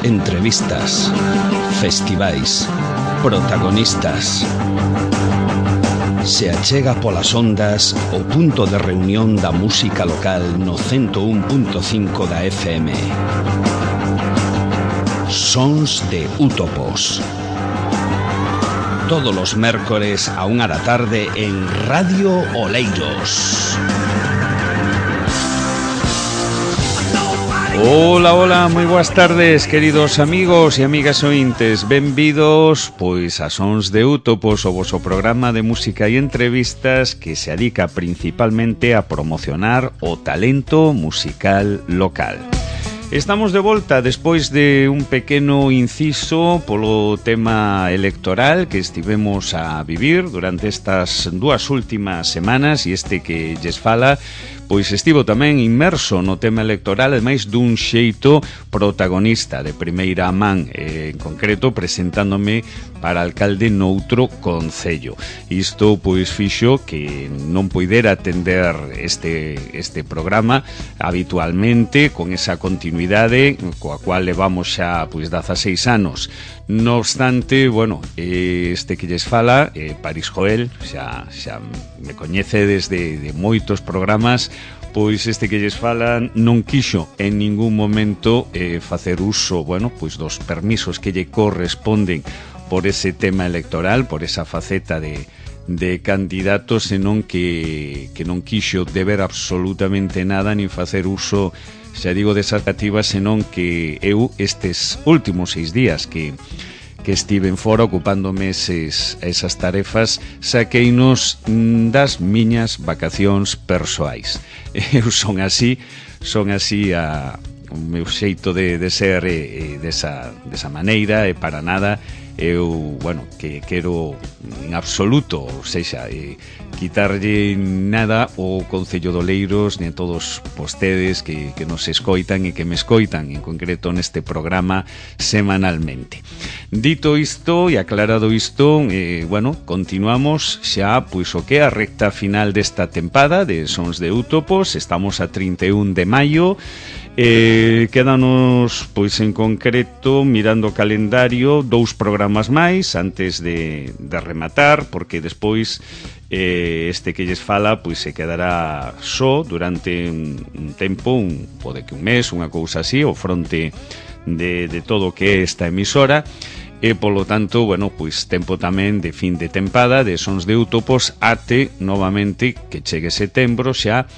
entrevistas, festivais, protagonistas. Se achega polas ondas o punto de reunión da música local no 101.5 da FM. Sons de Útopos. Todos os mércores a 1 da tarde en Radio Oleiros. Hola, hola, moi boas tardes, queridos amigos e amigas ointes. Benvidos, pois, a Sons de Útopos, o voso programa de música e entrevistas que se adica principalmente a promocionar o talento musical local. Estamos de volta despois de un pequeno inciso polo tema electoral que estivemos a vivir durante estas dúas últimas semanas, e este que lles fala pois estivo tamén inmerso no tema electoral, ademais dun xeito protagonista de primeira man, en concreto presentándome para alcalde noutro concello. Isto pois fixo que non poidera atender este programa habitualmente con esa continuidade coa cual levamos xa pois 16 anos. No obstante, bueno, este que lles fala, Paris Joel, xa me coñece desde de moitos programas, pois este que lles fala non quixo en ningún momento facer uso, bueno, pois dos permisos que lle corresponden por ese tema electoral, por esa faceta de candidato, senón que non quixo deber absolutamente nada nin facer uso, xa digo, desas activas, senón que eu estes últimos 6 días que estiven fora ocupándome esas tarefas, saqueinos das miñas vacacións persoais. Eu son así o meu xeito de ser desa maneira, e para nada eu, bueno, que quero en absoluto, ou sexa, quitarlle nada ao Concello de Oleiros ni a todos vostedes que nos escoitan e que me escoitan en concreto neste programa semanalmente. Dito isto e aclarado isto, bueno, continuamos xa pois o que é a recta final desta tempada de Sons de Útopos. Estamos a 31 de maio. Quédanos, pois en concreto, mirando o calendario, 2 programas máis antes de rematar, porque despois este que lles fala pois se quedará só durante un tempo, pode que un mes, unha cousa así, ao fronte de todo o que é esta emisora. E, polo tanto, bueno, pois tempo tamén de fin de tempada de Sons de Útopos até novamente que chegue setembro xa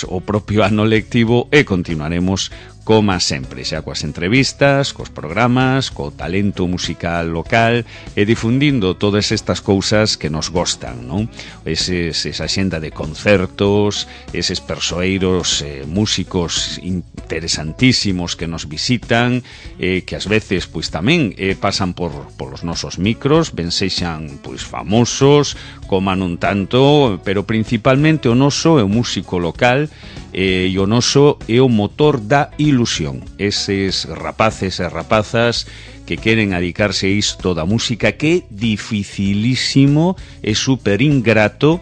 o propio ano lectivo, e continuaremos como sempre, xa coas entrevistas, cos programas, co talento musical local e difundindo todas estas cousas que nos gostan, non? Esa xenda de concertos, eses persoeiros músicos interesantísimos que nos visitan, que ás veces pois tamén pasan polos nosos micros, ben sexan pois famosos, como non tanto, pero principalmente o noso é o músico local, e o noso é o motor da ilusión. Eses rapaces e rapazas que queren adicarse a isto da música, que é dificilísimo e super ingrato,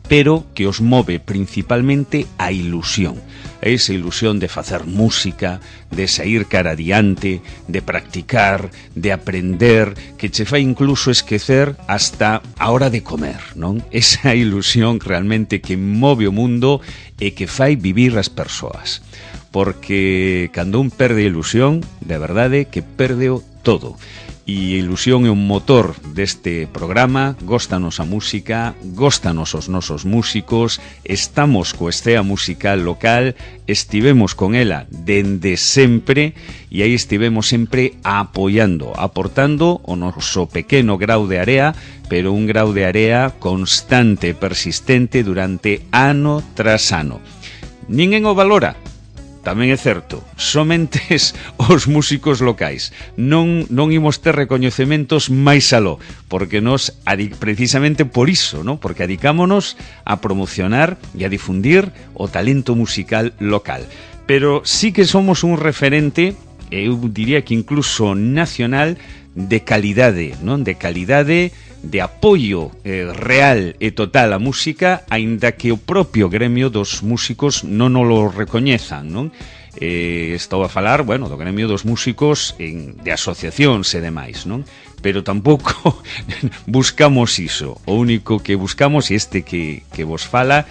pero que os move principalmente a ilusión. Esa ilusión de facer música, de sair cara adiante, de practicar, de aprender, que che fai incluso esquecer hasta a hora de comer, non? Esa ilusión realmente que move o mundo e que fai vivir as persoas. Porque cando un perde a ilusión, de verdade que perdeo todo. E a ilusión é un motor deste programa. Góstanos a música, góstanos os nosos músicos, estamos co escena musical local, estivemos con ela dende sempre, e aí estivemos sempre apoiando, aportando o noso pequeno grau de area, pero un grau de area constante e persistente durante ano tras ano. Ninguén o valora. Tamén é certo, somente os músicos locais non imos ter recoñecementos máis aló, porque nos, precisamente por iso, ¿no? Porque adicámonos a promocionar e a difundir o talento musical local. Pero sí que somos un referente, eu diría que incluso nacional, de calidade, non? De calidade de apoio real e total á música, aínda que o propio gremio dos músicos non o recoñezan, non? Estou a falar, bueno, do gremio dos músicos de asociacións e demais, non? Pero tampouco buscamos iso. O único que buscamos, e este que vos fala,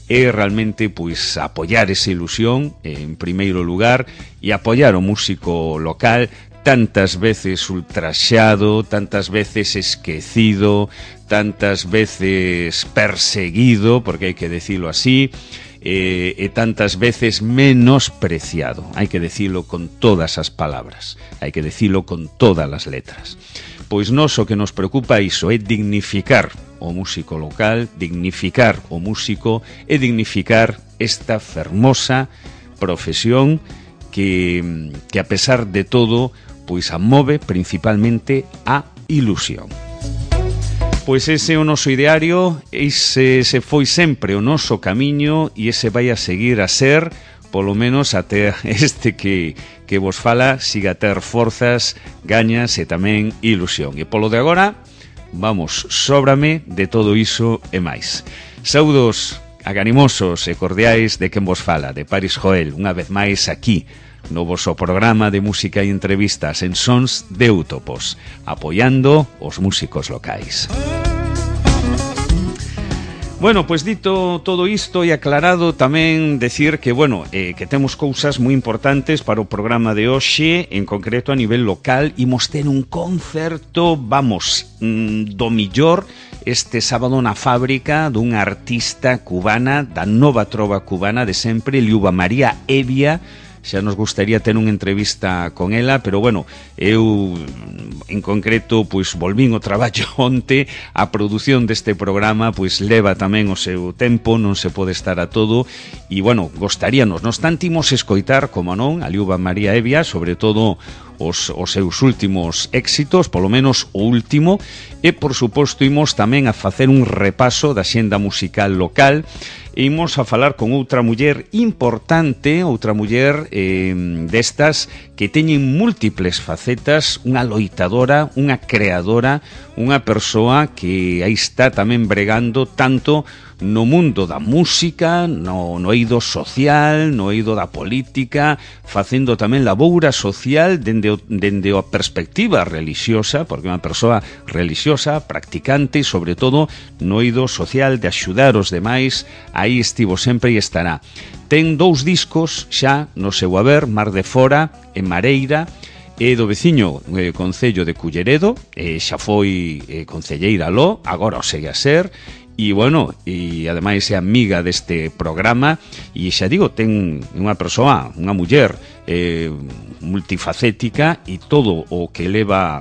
é realmente pois apoiar esa ilusión en primeiro lugar e apoiar o músico local, tantas veces ultraxado, tantas veces esquecido, tantas veces perseguido, porque hai que decirlo así, e tantas veces menospreciado. Hai que decirlo con todas as palabras, hai que decirlo con todas as letras. Pois nós o que nos preocupa iso é dignificar o músico local, dignificar o músico e dignificar esta fermosa profesión que a pesar de todo pois a move principalmente a ilusión. Pois ese é o noso ideario, ese foi sempre o noso camiño e ese vai a seguir a ser, polo menos até este que vos fala siga a ter forzas, gañas e tamén ilusión. E polo de agora, vamos, sóbrame de todo iso e máis. Saúdos aganimosos e cordiais de quen vos fala, de Paris Joel, unha vez máis aquí, no voso programa de música e entrevistas en Sons de Útopos, apoiando os músicos locais. Bueno, pois dito todo isto e aclarado, tamén decir que, bueno, que temos cousas moi importantes para o programa de hoxe, en concreto a nivel local. Imos ter un concerto, vamos, do millor, este sábado na fábrica dunha artista cubana, da nova trova cubana de sempre, Liuba María Evia. Xa nos gustaría ter unha entrevista con ela, pero bueno, eu en concreto pois volvín o traballo onte, a produción deste programa pois leva tamén o seu tempo, non se pode estar a todo, e bueno, gostaríanos, nos tanto imos escoitar, como non, a Liuba María Evia, sobre todo os seus últimos éxitos, polo menos o último, e por suposto imos tamén a facer un repaso da xenda musical local, e imos a falar con outra muller importante, outra muller destas que teñen múltiples facetas, unha loitadora, unha creadora, unha persoa que aí está tamén bregando tanto no mundo da música, no eido social, no eido da política, facendo tamén laboura social dende a perspectiva religiosa, porque é unha persoa religiosa, practicante, e sobre todo no eido social de axudar os demais. Aí estivo sempre e estará. Ten 2 discos xa no seu haber, Mar de Fora e Mareira, e do veciño concello de Culleredo, xa foi concelleira aló, agora o segue a ser. E, bueno, e ademais é amiga deste programa e xa digo, ten unha persoa, unha muller multifacética e todo o que leva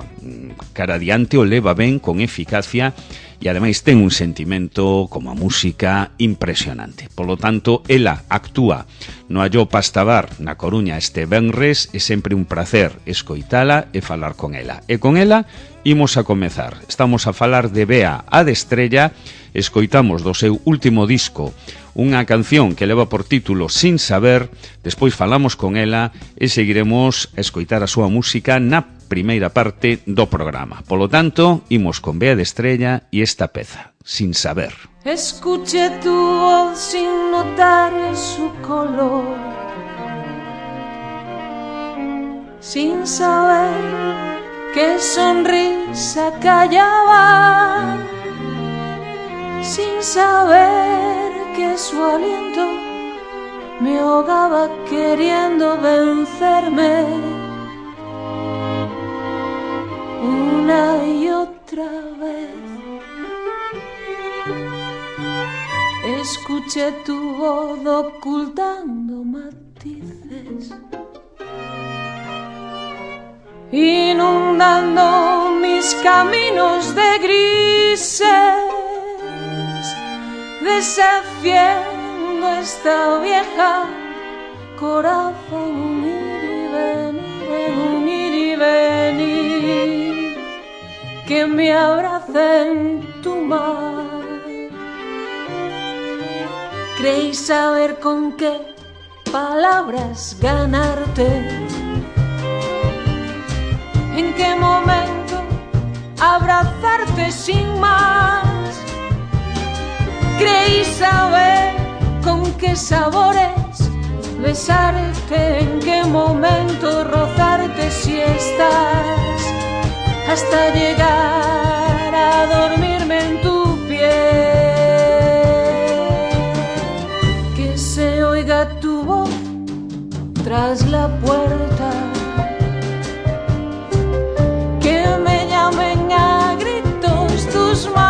cara adiante o leva ben, con eficacia, e ademais ten un sentimento como a música impresionante. Polo tanto, ela actúa no Alló Pastabar na Coruña este venres, é sempre un placer escoitala e falar con ela. E con ela imos a comezar. Estamos a falar de Bea a de Estrella. Escoitamos do seu último disco unha canción que leva por título Sin Saber, despois falamos con ela e seguiremos a escoitar a súa música na primeira parte do programa. Polo tanto, imos con Bea de Estrella e esta peza, Sin Saber. Escuché tu voz sin notar su color, sin saber qué sonrisa callaba, sin saber que su aliento me ahogaba queriendo vencerme una y otra vez. Escuché tu voz ocultando matices, inundando mis caminos de grises, desafiando esta vieja corazón, un ir y venir, que me abraza en tu mar. Creí saber con qué palabras ganarte, en qué momento abrazarte sin más. Creí saber con qué sabores besarte, en qué momento rozarte si estás, hasta llegar a dormirme en tu piel. Que se oiga tu voz tras la puerta, que me llamen a gritos tus manos,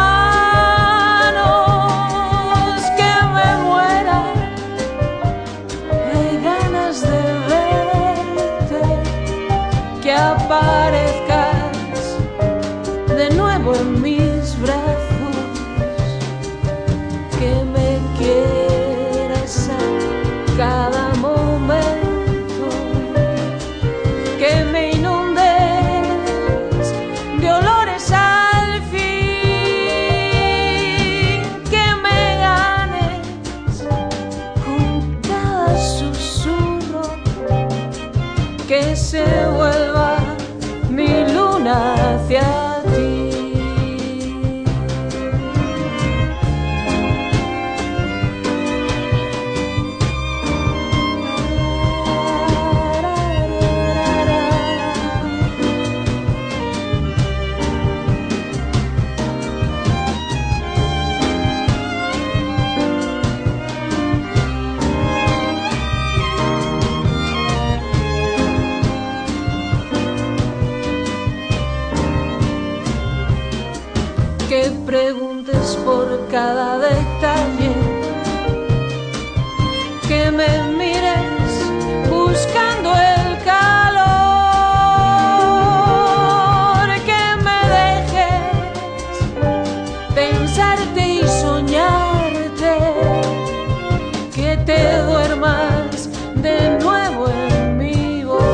que me muera de ganas de verte, que aparezcas de nuevo en mis brazos, que me quieras a cada momento, que me inundes de olores al fin, que me ganes con cada susurro, que se vuelva mi luna hacia ti. Que preguntes por cada detalle, que me mires buscando el calor, que me dejes pensarte y soñarte, que te duermas de nuevo en mi voz.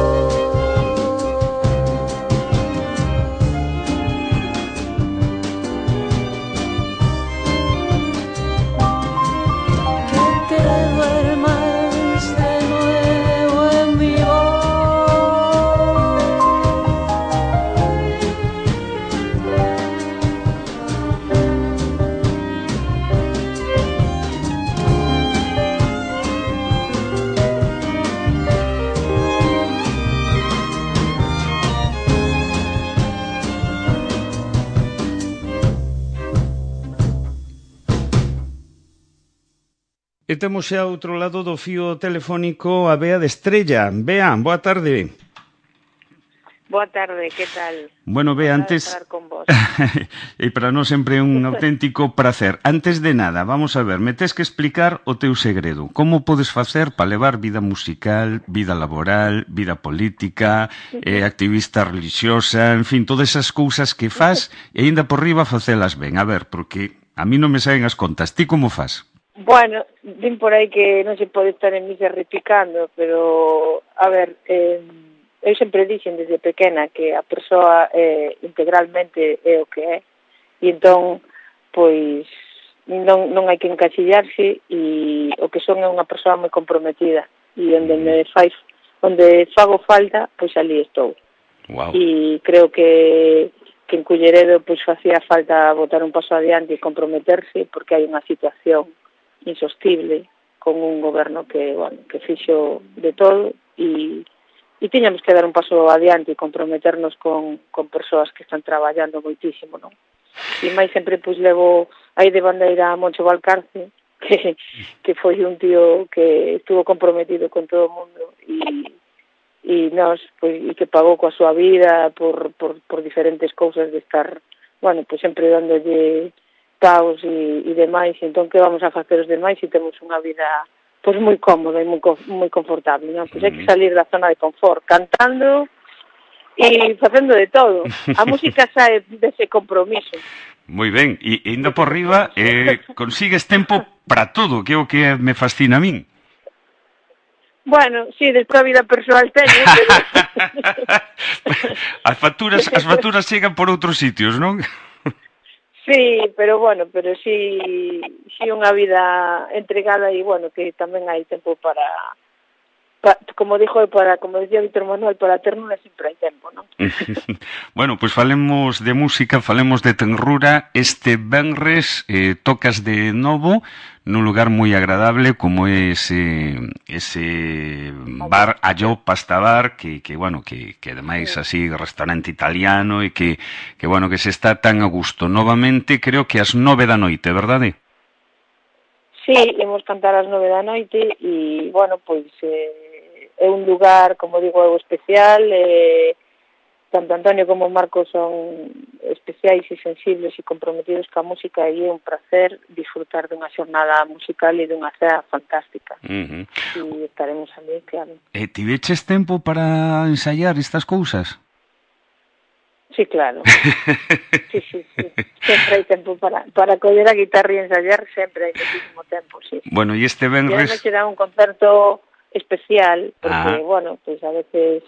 E temos xa ao outro lado do fío telefónico a Bea de Estrella. Bea, boa tarde. Boa tarde, que tal? Bueno, Bea, antes... Con vos. E para nós sempre é un auténtico placer. Antes de nada, vamos a ver, me tes que explicar o teu segredo. Como podes facer para levar vida musical, vida laboral, vida política, activista religiosa, en fin, todas esas cousas que fas e ainda por riba facelas ben. A ver, porque a mí non me saen as contas. Ti como fas? Bueno, din por aí que non se pode estar en misa repicando, pero, a ver, eu sempre dixen desde pequena que a persoa integralmente é o que é, e entón, pois, non hai que encasillarse, e o que son é unha persoa moi comprometida, e onde fago falta, pois ali estou. Wow. E creo que en Culleredo pois facía falta botar un paso adiante e comprometerse, porque hai unha situación insostible con un goberno que, bueno, que fixo de todo e tiñamos que dar un paso adiante e comprometernos con persoas que están traballando moitísimo, non? E máis sempre pois levo aí de bandeira a Moncho Valcarce, que foi un tío que estuvo comprometido con todo o mundo e nós, pois, e que pagou coa súa vida por diferentes cousas de estar, bueno, pois sempre dándolle paus e demais, entón que vamos a facer os demais se temos unha vida pois moi cómoda e moi confortable, non? Pois hai que salir da zona de confort, cantando e facendo de todo. A música sae dese compromiso. Moi ben, e indo por riba consigues tempo para todo, que é o que me fascina a min. Bueno, sí, despois a vida persoal teño, pero... As facturas chegan por outros sitios, non? Sí, pero bueno, pero sí unha vida entregada e bueno, que tamén hai tempo para como decía Víctor Manuel, para ternuras sempre hai tempo, non? Bueno, pois falemos de música, falemos de tenrura. Este venres tocas de novo nun lugar moi agradable como é ese bar Allò Pasta Bar que ademais así restaurante italiano e que bueno, que se está tan a gusto. Novamente creo que ás 9 da noite, verdade? Sí, imos cantar ás 9 da noite e, bueno, pois é un lugar, como digo, especial, tanto Antonio como Marcos son especiais e sensibles e comprometidos ca música e é un placer disfrutar dunha xornada musical e dunha cea fantástica. E estaremos ali, claro. Tiveches tempo para ensaiar estas cousas? Sí, claro. Sí. Sempre hai tempo para coller a guitarra e ensayar, sempre hai muchísimo tempo, sí. Bueno, e este venres... E será un concerto especial, porque, bueno, pues a veces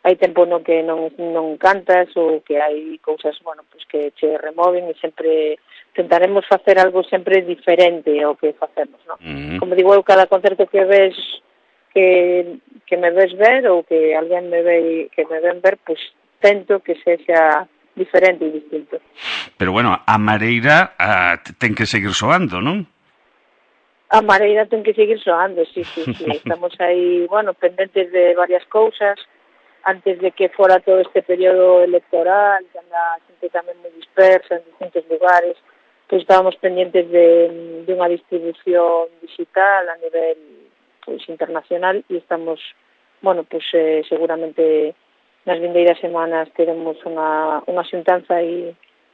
hai tempo no que non cantas ou que hai cousas, bueno, pues que che removen e sempre tentaremos facer algo sempre diferente ao que facemos, non? Como digo eu, cada concerto que ves que me ves ver ou que alguén me ven ver, pues tento que sexa diferente e distinto. Pero bueno, a mareira ten que seguir soando, non? A mareira ten que seguir soando, sí. Estamos aí, bueno, pendentes de varias cousas, antes de que fora todo este período electoral, que anda a xente tamén moi dispersa en distintos lugares, pois estábamos pendentes de unha distribución digital a nivel pois internacional e estamos, bueno, pois seguramente nas vindeiras semanas teremos unha xuntanza e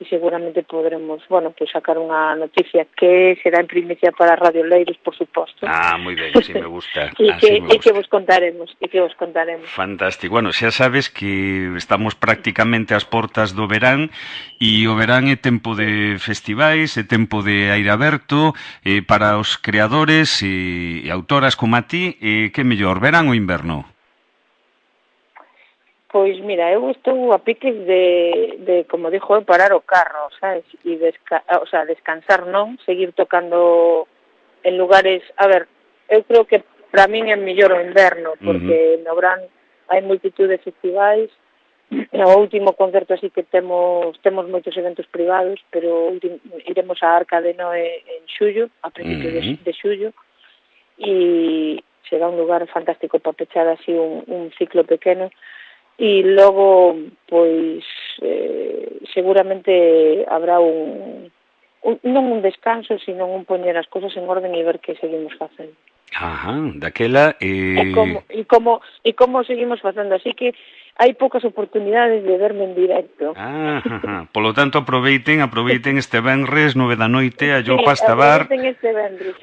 seguramente podremos, bueno, pues sacar unha noticia que será en primicia para Radio Leiros, por suposto. Moi ben, así me gusta. e que vos contaremos. Fantástico. Bueno, xa sabes que estamos prácticamente ás portas do verán e o verán é tempo de festivais, é tempo de aire aberto para os creadores e autoras como a ti, que mellor, verán ou inverno? Pois mira, eu estou a piques de como dixo, parar o carro, sabes? E descansar non, seguir tocando en lugares... A ver, eu creo que para min é mellor o inverno, porque no verán hai multitud de festivais. O último concerto así que temos moitos eventos privados, pero iremos a Arca de Noé en xullo, a principios de xullo, e será un lugar fantástico para pechar así un ciclo pequeno. E logo, pois, seguramente habrá non un descanso, sino un poñer as cousas en orden e ver que seguimos facendo. Daquela... E como seguimos facendo, así que hai poucas oportunidades de verme en directo. Polo tanto, aproveiten este venres 9 da noite a Allò Pasta Bar,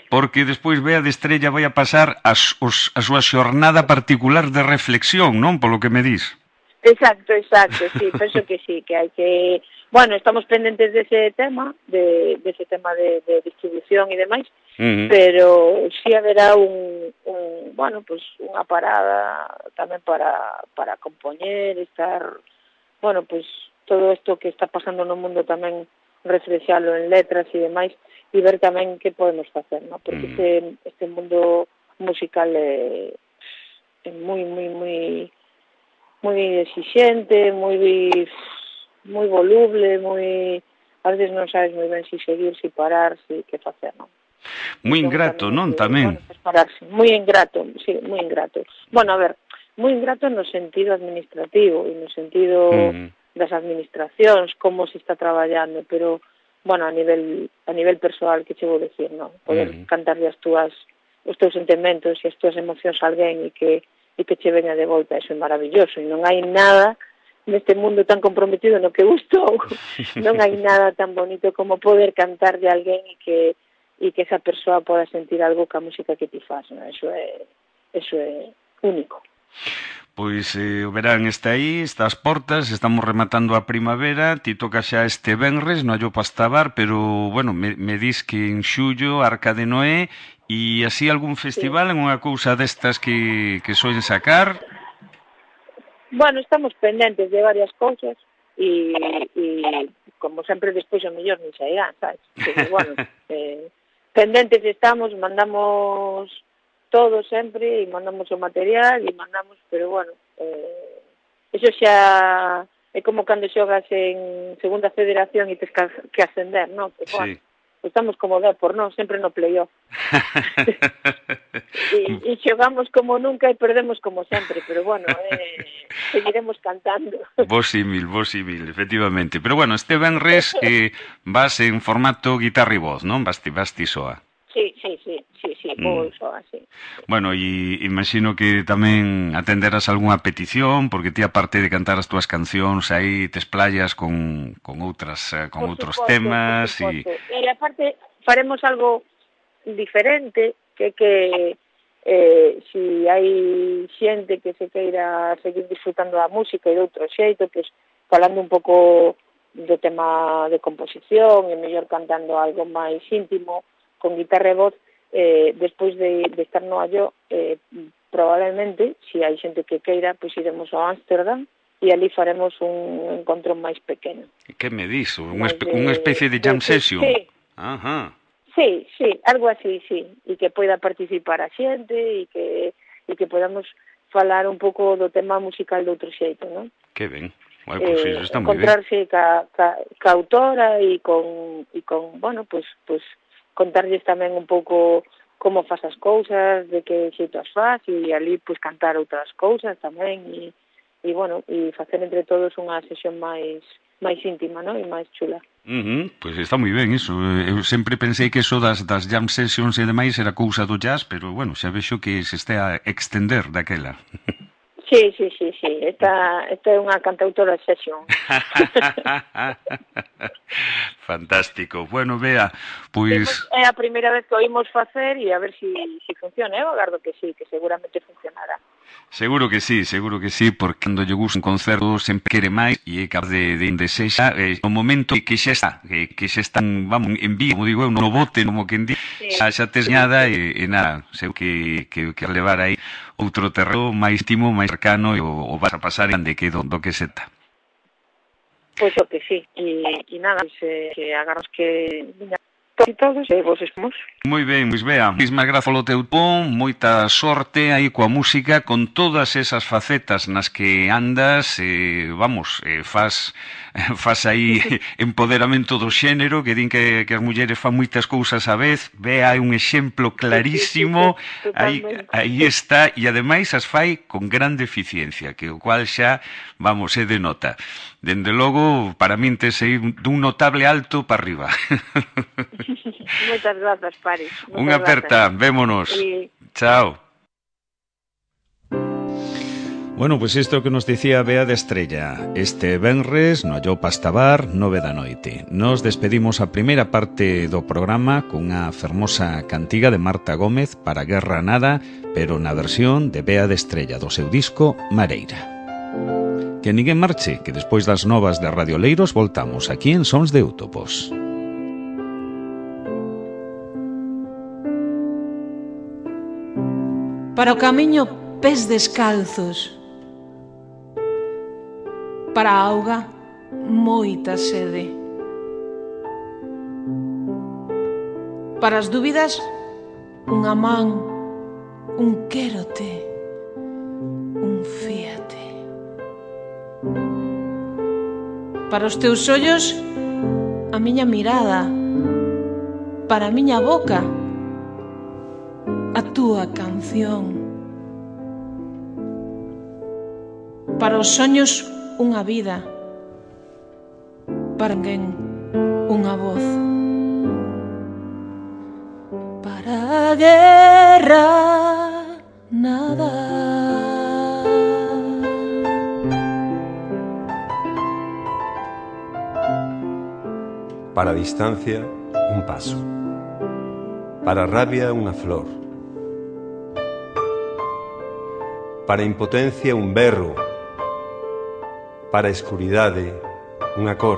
porque despois Bea de Estrella vai a pasar a súa xornada particular de reflexión, non? Polo que me dís. Exacto, sí, penso que sí, que hai que... Bueno, estamos pendentes dese tema, de distribución e demais, pero sí haberá bueno, pues unha parada tamén para compoñer, estar, bueno, pues todo isto que está pasando no mundo tamén reflexalo en letras e demais, e ver tamén que podemos facer, ¿no? Porque este mundo musical é moi exixente, moi voluble, a veces non sabes moi ben si seguir, si parar, si que facer, non? Moi ingrato, non, tamén? Bueno, pararse. Moi ingrato, sí, moi ingrato. Bueno, a ver, moi ingrato no sentido administrativo e no sentido das administracións, como se está traballando, pero, bueno, a nivel persoal, que che vou dicir, non? Poder cantarle os teus sentimentos e as túas emocións a alguén e que che veña de volta, eso é maravilloso, e non hai nada neste mundo tan comprometido no que gustou, non hai nada tan bonito como poder cantarle a alguén e que esa persoa poda sentir algo ca música que ti faz, non? Eso é único. Pois o verán está aí, está ás portas, estamos rematando a primavera, ti toca xa este venres no Allò Pasta Bar, pero, bueno, me dis que en xullo, Arca de Noé, e así algún festival, unha cousa destas que soen sacar? Bueno, estamos pendentes de varias cousas e como sempre despois o mellor nin sairán, sabes? Pero, bueno, pendentes estamos, mandamos todo sempre, e mandamos o material, e mandamos, pero bueno, eso xa é como cando xogas en segunda federación e tes que ascender, non? Pues, sí. Bueno, estamos como Depor, non? Sempre no playoff. e xogamos como nunca e perdemos como sempre, pero bueno, seguiremos cantando. Vos símil, efectivamente. Pero bueno, este venres vas en formato guitarra e voz, non? Vas ti soa. Sí, vou soa, sí. Bueno, e imagino que tamén atenderás algunha petición, porque ti, aparte de cantar as túas cancións, aí te esplayas con outras, con outros temas. E aparte, faremos algo diferente, que si hai xente que se queira seguir disfrutando da música e de outro xeito, pues, falando un pouco do tema de composición e mellor cantando algo máis íntimo, con guitarra e voz, despois de estar no Allo, probablemente, se hai xente que queira, pois iremos ao Ámsterdam e ali faremos un encontro máis pequeno. Que me dis? Unha especie de jam session? Sí. Ajá. Sí, algo así, sí. E que poida participar a xente e que podamos falar un pouco do tema musical de outro xeito, non? Que ben. Bueno, pues eso está moi ben. Encontrarse ca autora e con bueno, pues contarlles tamén un pouco como faz as cousas, de que xeito as faz, e ali pues cantar outras cousas tamén, e bueno, e facer entre todos unha sesión máis íntima, non? E máis chula. Pois está moi ben iso. Eu sempre pensei que eso das jam sessions e demais era cousa do jazz, pero bueno, xa vexo que se está a extender daquela. Sí. Esta é unha cantautora session. Fantástico. Bueno, Bea, pois... É a primeira vez que oímos facer e a ver si funciona. Eu agardo que sí, que seguramente funcionará. Seguro que sí, porque cando lle gusta un concerto sempre quere máis e é capaz de desexa no momento que xa está, que xa están, vamos, en vío, como digo eu, no bote, como quen di, xa tes nada e nada, sei que levar aí outro terreno máis íntimo, máis cercano e o vas a pasar grande que do que se está. Pois o que sí, e nada, que agarros que e todos, e vos espemos. Moi ben, pois Bea, moitísimas grazas polo teu ton, moita sorte aí coa música, con todas esas facetas nas que andas, faz aí empoderamento do xénero, que din que as mulleres fan moitas cousas á vez. Bea é un exemplo clarísimo, aí está, e ademais as fai con grande eficiencia, que o cual xa, vamos, é de nota. Dende logo, para min tes aí dun notable alto para arriba. Moitas grazas, Paris. Unha aperta, vémonos. Chao. Bueno, pois isto que nos dicía Bea de Estrella. Este venres, no Allo Pastabar, 9 da noite. Nos despedimos a primeira parte do programa cunha fermosa cantiga de Marta Gómez para Guerra Nada, pero na versión de Bea de Estrella do seu disco Mareira. Que ninguén marche, que despois das novas de Radio Leiros voltamos aquí en Sons de Eutopos. Para o camiño, pés descalzos. Para a auga, moita sede. Para as dúbidas, unha man, un quérote, un fíate. Para os teus ollos, a miña mirada. Para a miña boca, a túa canción. Para os soños, unha vida. Para alguén, unha voz. Para a guerra, nada. Para a distancia, un paso. Para a rabia, unha flor. Para a impotencia, un berro. Para a escuridade, unha cor.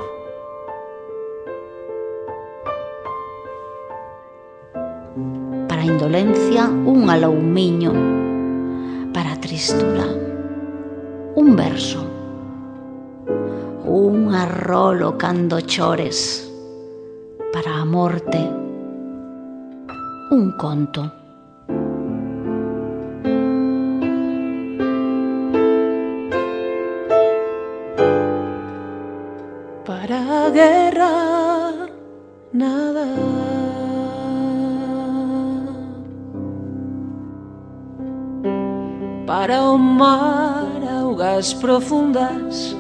Para a indolencia, un aloumiño. Para a tristura, un verso. Un arrolo cando chores. Para a morte, un conto. para o mar, augas profundas,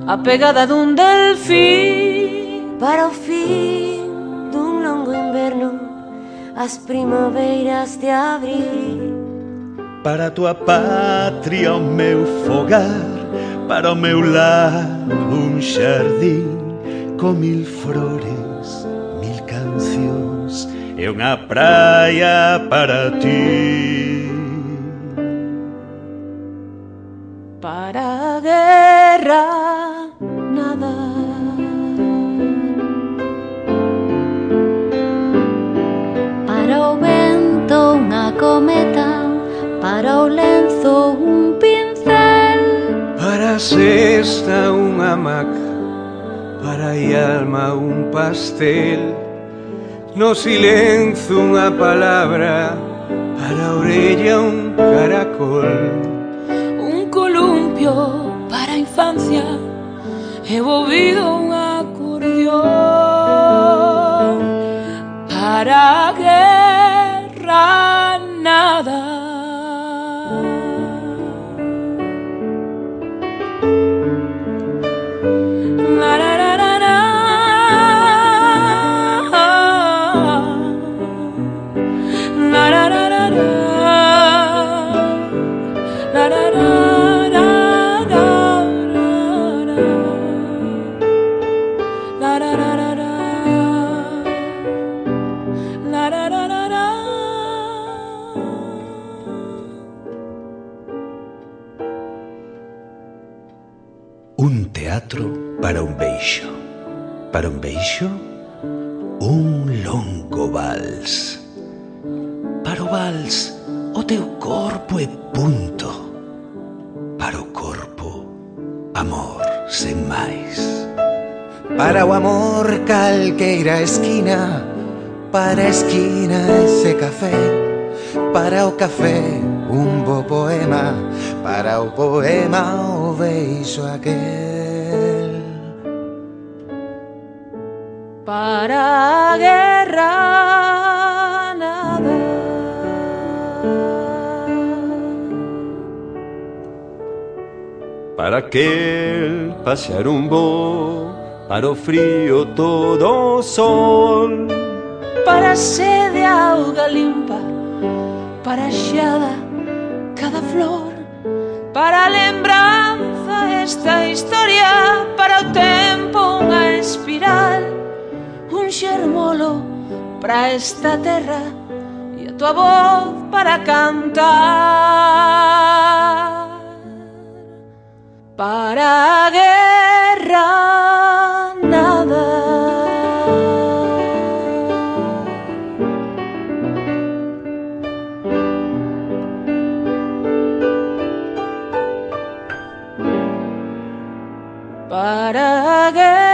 a pegada dun delfín, para o fin dun longo inverno, as primaveras de abril. Para a tua patria o meu fogar, para o meu lar un xardín con mil flores, mil cancións e unha praia para ti. para a guerra nada, Para o vento unha cometa, para o lenzo un pincel, para a cesta unha hamaca, para a alma un pastel, no silencio unha palabra, para a orella un caracol, un columpio para a infancia e o ouvido un acordeón, para a guerra nada. Un teatro para un beixo. Para un beixo, un longo vals. Para o vals, o teu corpo e punto. Para o corpo, amor sen máis. Para o amor calqueira esquina, para a esquina ese café, para o café un bo poema, para o poema o beijo aquel. Para a guerra nada. Para aquel pasear un bo, para o frío todo o sol, Para a sede auga limpa, para a xeada cada flor, para a lembranza esta historia, para o tempo unha espiral, un xermolo para esta terra e a tua voz para cantar. Para a guerra nada. Para a guerra